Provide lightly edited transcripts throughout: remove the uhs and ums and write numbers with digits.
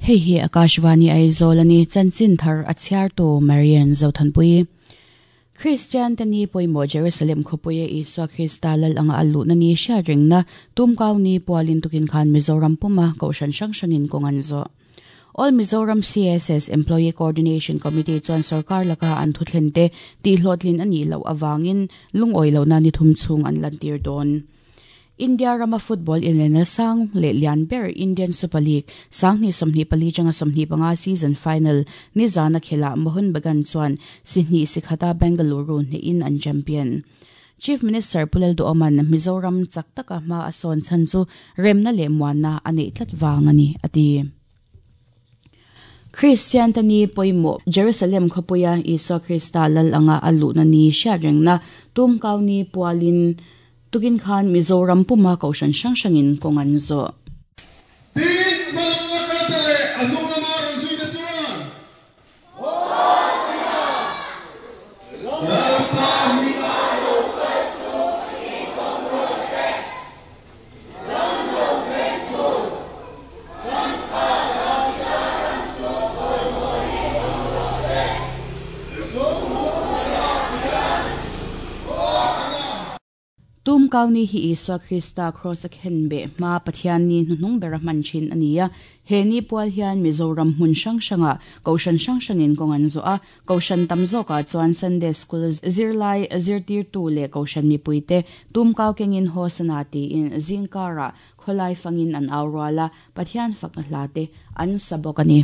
Hei hi Akashvani Aizawl a ni, chanchin thar a chhiartu Marian Zothanpui. Kristian te ni pawimawh Jerusalem khawpuia Isua Krista lal anga a luhna ni hriat rengna tumkau ni pualin tukin khan Mizoram puma kohhran hrang hrangin kawng an zawh. All Mizoram CSS Employee Coordination Committee chuan sorkar laka an thuthlen te tihhlawhtlin a nih loh avangin lungawi lohna ni thum chhung an lantir dawn. India rama football inlena sang leh lian ber Indian Super League 2024 atanga 25 season final nizana khelah Mohun Bagan chuan si hnih si khata Bengaluru hnehin an champion. Chief Minister Pu Lalduhoma'n Mizoram chak taka hma a sawn chhan chu remna leh muanna a neih tlat vang a ni, a ti. Kristian te ni pawimawh Jerusalem khawpuia Isua Krista lal anga a luhna ni hriatrengna tumkau ni pualin Tukin khan Mizoram puma kohhran hrang hrangin kawng an zawh. Tin, hmalam la kalte leh a hnung lama rawn zuite chuan, Lalpa hming a lo kal chu tih rawh se, ram lo thlengtu kan Pa Davida ram chu chawimawiin awm rawh se, chungnungah hian Hosana! Tum Kauni hi Isua Krista Kraws a khen beh hma Pathian ni hnuhnung bera hman thin a ni a. He ni pual hian Mizoram hmun hrang hrangah Kohhran hrang hrangin kawng an zawh a. Kohhran tam zawkah chuan Sunday School zirlai zirtirtu leh Kohhran mipuite Tum Kau kengin Hosana tiin zingkarah khawlai fangin an au rual a, Pathian fakna hla te an sa bawk a ni.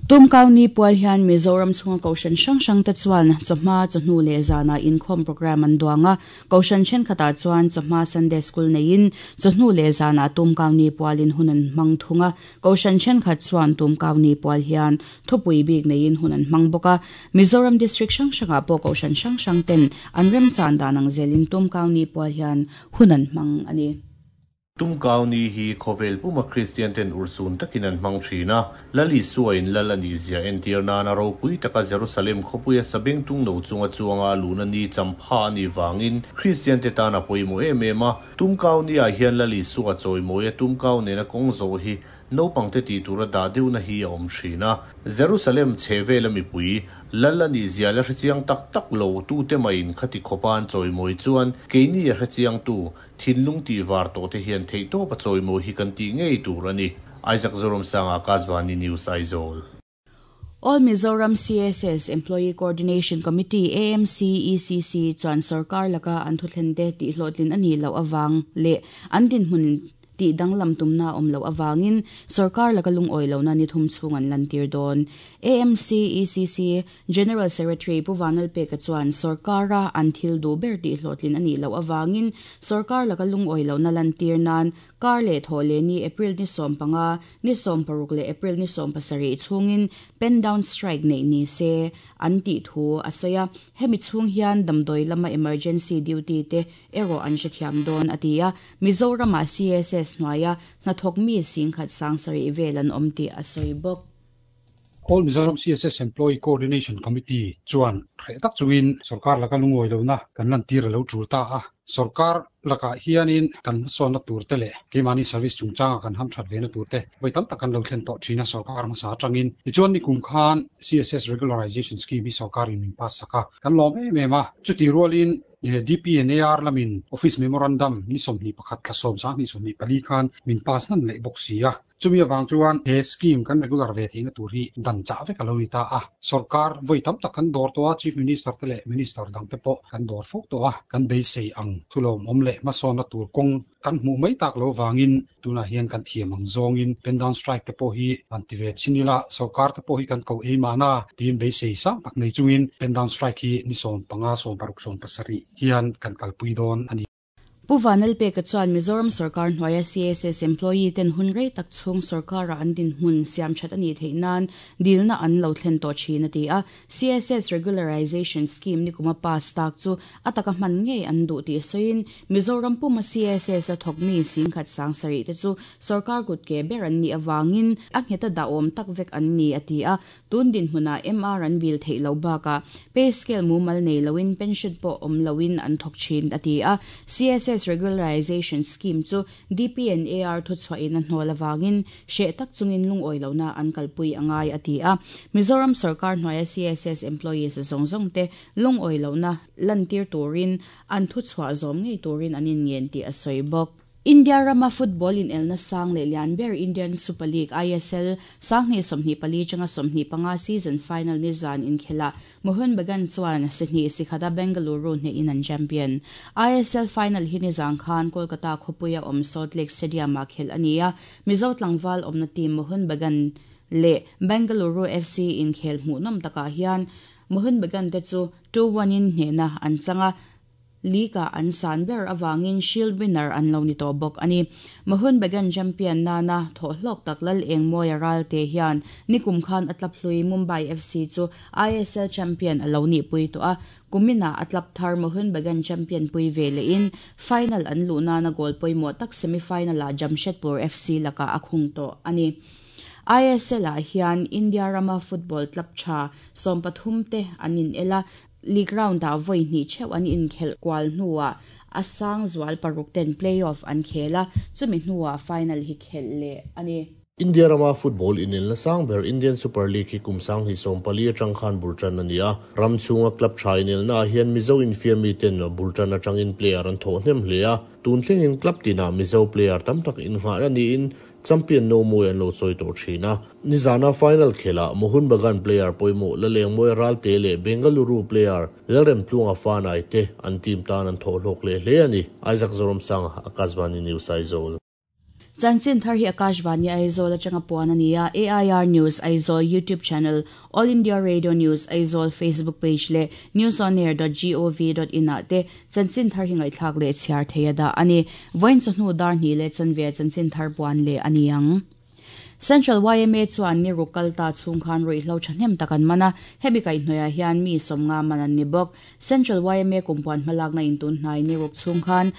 Tumkau ni pual hian Mizoram chhunga Kohhran hrang hrang te chuan chawhma, chawhnu leh zanah inkhawm programme an duang a. Kohhran thenkhatah chuan chawhma Sunday School neiin chawhnu leh zanah Tumkau ni pualin hun an hmang thung a. Kohhran thenkhat chuan Tumkau ni pual hian thupui bik neiin hun an hmang bawk a. Mizoram District hrang hrangah pawh Kohhran hrang hrang ten an remchan dan ang zelin Tumkau ni pual hian hun an hmang a ni. Tumkau ni hi khawvel puma Kristian ten urhsun takin an hmang thin a, Lal Isua in Lal a nih zia entir nana ropui taka Jerusalem khawpuia sabeng tung no chunga chuanga a luhna ni champha a nih vangin Kristian te tan a pawimawh em em a. Tumkau ni ah hian Lal Isua chawimawia Tumkau nena kawng zawh hi Naupangte tih tura dah deuhna hi a awm thin a. Jerusalem chhe vela mipui, Lal a nih zia la hrechiang tak tak lo tute maiin khati khawpa an chawimawi chuan keini a hrechiangtu, thinlung tih var tawh te hian theihtawp a chawimawi hi kan tih ngei tur a ni. Isaac Zoramsanga, Akashvani News, Aizawl. All Mizoram CSS Employee Coordination Committee, AMCECC, chuan sorkar laka an thuthlente tihhlawhtlin a nih loh avang leh an dinhmun tih danglam tumna a awm loh avangin sorkar laka lungawi lohna ni thum chhung an lantir dawn. AMCECC General Secretary Pu Vanlalpeka chuan sorkara an thil duh ber tihhlawhtlin a nih loh avangin sorkar laka lungawi lohna lantir nan Kar leh thawh leh ni April ni 15, ni 16 leh April ni 17 chhungin pen down strike neih ni se an tih thu a sawi a, hemi chhung hian damdawi lama emergency duty te erawh an hrethiam dawn a ti a, Mizoramah CSS hnuaia hnathawk mi singkhat 7000 vel an awm tih a sawi bawk. All Mizoram CSS Employee Coordination Committee chuan hreh tak chungin sorkar laka lungawi lohna kan lantir a lo tul ta a. Sorkar lakah hianin kan hmasawnna tur te leh keimahni service chungchanga kan hamthat vena tur te vawi tam tak kan lo thlen tawh thin a sorkar hmasa atangin. Tichuan nikum khan CSS Regularization Scheme hi sorkarin min pass sak a, kan lawm em em a. Chutih rualin DPNAR lamin Office Memorandum ni 21 thla 10 2024 khan min pass hnan leh bawk si a. Chumi avang chuan he scheme kan regular ve theihna tur hi dan chah vek a lo ni ta a. Sorkar vawi tam tak kan dawr tawh a, Chief Minister te leh Minister dang te pawh kan dawr fo tawh a, kan beisei ang. Thulawmawm leh hmasawnna tur kawng kan hmuh mai tak loh vangin tunah hian kan thiam ang zawngin pen down strike te pawh hi han ti ve chin ila, sorkar te pawh hi kan ko ei mahna tiin beisei sang tak nei chungin pen down strike hi ni 15, 16, 17 hian kan kalpui dawn a ni. Pu Vanlalpeka chuan Mizoram sorkar hnuaia CSS employee ten hun rei tak chhung sorkara an dinhmun siam that a nih theih nan dilna an lo thlen tawh thin a ti a. CSS Regularization Scheme nikuma pass tak chu a taka hman ngei an duh tih sawiin Mizoram puma CSS a thawkmi singkhat sang sarih te chu sorkar kutke ber an nih avangin a ngheta dahawm tak vek an ni a ti a. Tun dinhmunah MR an vil theih loh bakah pay scale mumal nei loin pension pawh awm loin an thawk thin, a ti a. CSS Regularization Scheme chu DPNAR thuchhuahin a hnawl avangin hreh tak chungin lungawi lohna an kalpui a ngai, a ti a. Mizoram sorkar hnuaia CSS employees zawng zawng te lungawi lohna lantir turin an thuchhuah zawm ngei turin an inngen tih a sawi bawk. India rama football inelna sang leh lian ber Indian Super League, ISL, 2024 atanga 25 season final nizan inkhelah Mohun Bagan chuan si hnih si khata Bengaluru hnehin an champion. ISL final hi nizan khan Kolkata khawpuia awm Salt Lake Stadium-ah khelh a ni a, Mizo tlangval awmna team Mohun Bagan leh Bengaluru FC inkhel hmuhnawm takah hian Mohun Bagan te chu 2-1 in hnehna an chang a, League-ah an san ber avangin Shield winner an lo ni tawh bawk a ni. Mohun Bagan champion nana thawh hlawk tak Lal Engmawia Ralte hian nikum khan a tlap hlui Mumbai FC chu ISL champion a lo nihpui tawh a, kuminah a tlap thar Mohun Bagan champion pui ve lehin final an luh nana goal pawimawh tak semi-final-ah Jamshedpur FC lakah a khung tawh a ni. ISL-ah hian India rama football club tha 13 te an inel a, League round-ah vawi hnih theuh an inkhelh kual hnuah a sang zual paruk ten play-off an khel a, chumi hnuah final hi khelh leh a ni. India rama football inelna sang ber Indian Super League hi kum 2014 atang khan bul tan a ni a, ram chhunga club tha inelnaah hian Mizo infiammi ten bul tan atangin player an thawh hnem hle a, tun thlengin club tinah Mizo player tam tak innghahna niin Champion no mawi an lo chawi tawh thin a. Nizana final khelah Mohun Bagan player pawimawh Lalengmawi Ralte leh Bengaluru player Lalremtlunga Fanai te an team tan an thawh hlawk leh hle a ni. Isaac Zoramsanga, Akashvani News Aizawl. Chanchin thar hi Akashvani Aizawl atanga puan a ni a, AIR News Aizawl YouTube channel, All India Radio News Aizawl Facebook page leh newsonair dot gov dot in ah te Chanchin thar hi ngaihthlak leh chhiar thei a dah a ni. Vawiin chawhnu dar hnih leh chanve chanchin thar puan leh a ni ang. Central yma chuan ni ruk kal ta chhung khan ruihhlo thahnem tak an man a, hemi kaihhnawihah hian mi 50 man an ni bawk. Central yma kumpuan hmalakna intun hnai ni ruk chhung khan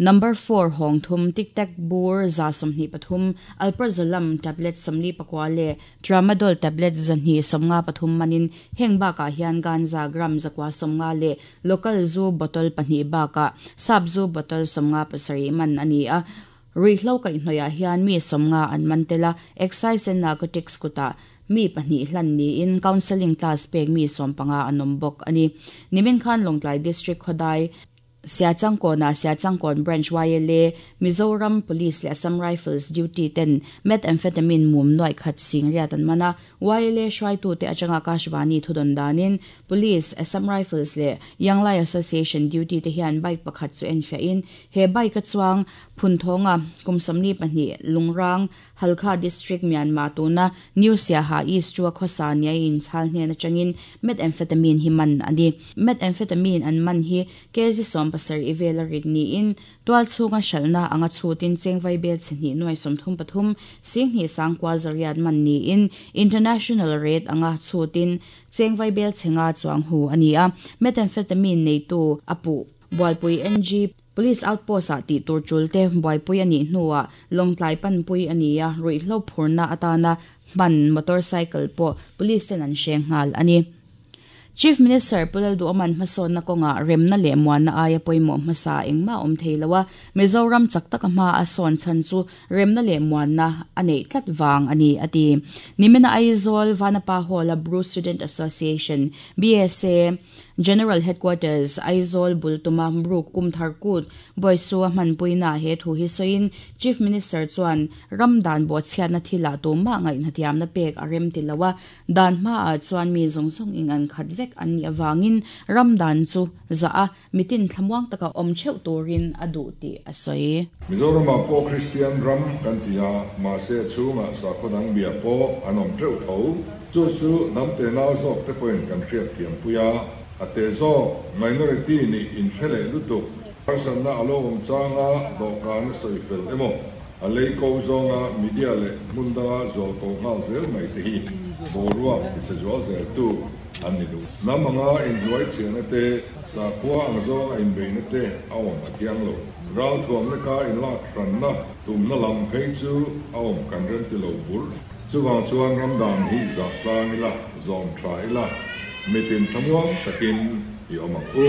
Number four hawng thum, Tic Tac bur 123, Alprazolam tablet 44 leh Tramadol tablet 253 manin heng bakah hian ganja gram 190 leh Local zu bottle pahnih bakah sap zu bottle 57 man a ni a. Ruihhlo kaihhnawihah hian mi 50 an man tel a, Excise and Narcotics kutah mi pahnih hlan niin counselling class pek mi 15 an awm bawk a ni. Nimin khan Lawngtlai District khawdai Siachangkawnah Siachangkawn Branch YLA, Mizoram Police leh Assam Rifles duty ten methamphetamine mum nuaih khat sing riat an man a, YLA hruaitute atanga Akashvani thudawn danin Police, Assam Rifles leh Young Lai Association duty te hian bike pakhat chu enfiahin he bike a chuang Phunthawnga kum 42 Lungrang, Halkha District, Myanmar tuna New Siaha East chu a khawsa nia inchhal hnen atangin methamphetamine hi man a ni. Methamphetamine an man hi kg 17 vel a rit niin tual chhunga hralhna anga chhutin cheng vaibel chhe hnih nuai 33 sing hnih sang kua zariat man niin international rate anga chhutin cheng vaibel chhe nga chuang hu a ni a. Methamphetamine neitu a puh Bualpui NG Police Outpost ah tih tur tul te buaipui a nih hnuah Lawngtlai panpui a ni a, ruihhlo phurna atana hman motorcycle pawh police ten an hreng nghal a ni. Chief Minister Pu Lalduhawman hmasawnna kawngah remna leh muanna aia pawimawh hmasa engmah awm thei lo a, Mizoram chak taka hma a sawn chhan chu remna leh muanna a neih tlat vang a ni, a ti. Nimina Aizawl Vanapa Hall-a Bru Student Association, BSA, General Headquarters, Aizawl bul tuma Mruk Kumthar Kut Bawisua hmanpuinaah he thu hi sawiin Chief Minister chuan ram dan bawhchhiatna thilah tumah ngaihnathiamna pek a rem ti lo a, dan hmaah chuan mi zawng zawng ing an khat vek an nih avangin ram dan chu zah a, mitin thlamuang taka awm theuh turin a duh tih a sawi. Mizoramah pawh Kristian ram kan ti a, mahse a chhungah sakhaw dang bia pawh an awm teuh tho. Chu chu hnam tenau zawk te pawhin kan hriat thiampui a, a te zawk, minority, nih inhre leh lutuk. Harsatna a lo awm changa dawhkan a sawi fel emaw, a lei ko zawnga media leh hmun danga zual ko nghal zel mai te hi boruak tichhe zual zeltu an ni duh. Hnam anga inhnuai chhiahna te, sakhua ang zawnga inbeihna te a awm a thiang lo. Ralthuamna ka inlak hranna tumna lam phei chu a awm kan remti lo bur. Chuvang chuan ram dan hi zah tlang ila, zawm tha ila, mitin thlamuang takin i awm ang u.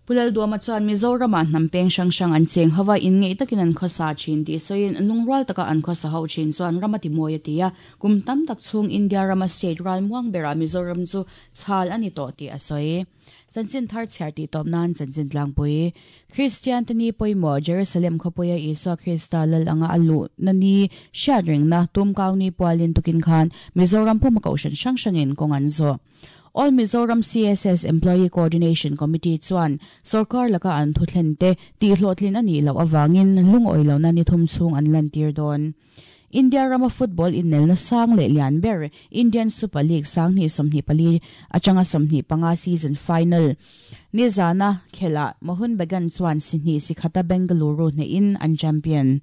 Pu Lalduama chuan Mizoramah hnam peng hrang hrang an cheng ho a, inngeih takin an khawsa thin tih sawiin lungrual taka an khawsa ho thin chuan ram a ti mawi a ti a, kum tam tak chhung India rama state ralmuang berah Mizoram chu chhal a ni tawh tih a sawi. Chanchin thar chhiar tih tawp nan chanchin tlangpui. Kristian te ni pawimawh Jerusalem khawpuia Isua Krista lal anga a luhna ni hriat rengna tumkau ni pualin tukin khan Mizoram puma kohhran hrang hrangin kawng an zawh. All Mizoram CSS Employee Coordination Committee chuan sorkar laka an thuthlen te tihhlawhtlin a nih loh avangin lungawi lohna ni thum chhung an lantir dawn. India rama football innelna sang leh lian ber Indian Super League sanghnih 24 atanga 25 season final nizana khelah Mohun Bagan chuan si hnih si khata Bengaluru hnehin an champion.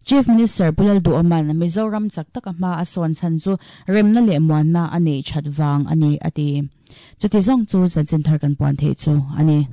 Chief Minister Pu Lalduhawman Mizoram chak taka hma a sawn chhan chu remna leh muanna a neih that vang a ni a ti. Chuti zawng chu chanchin thar kan puan theih chu a ni.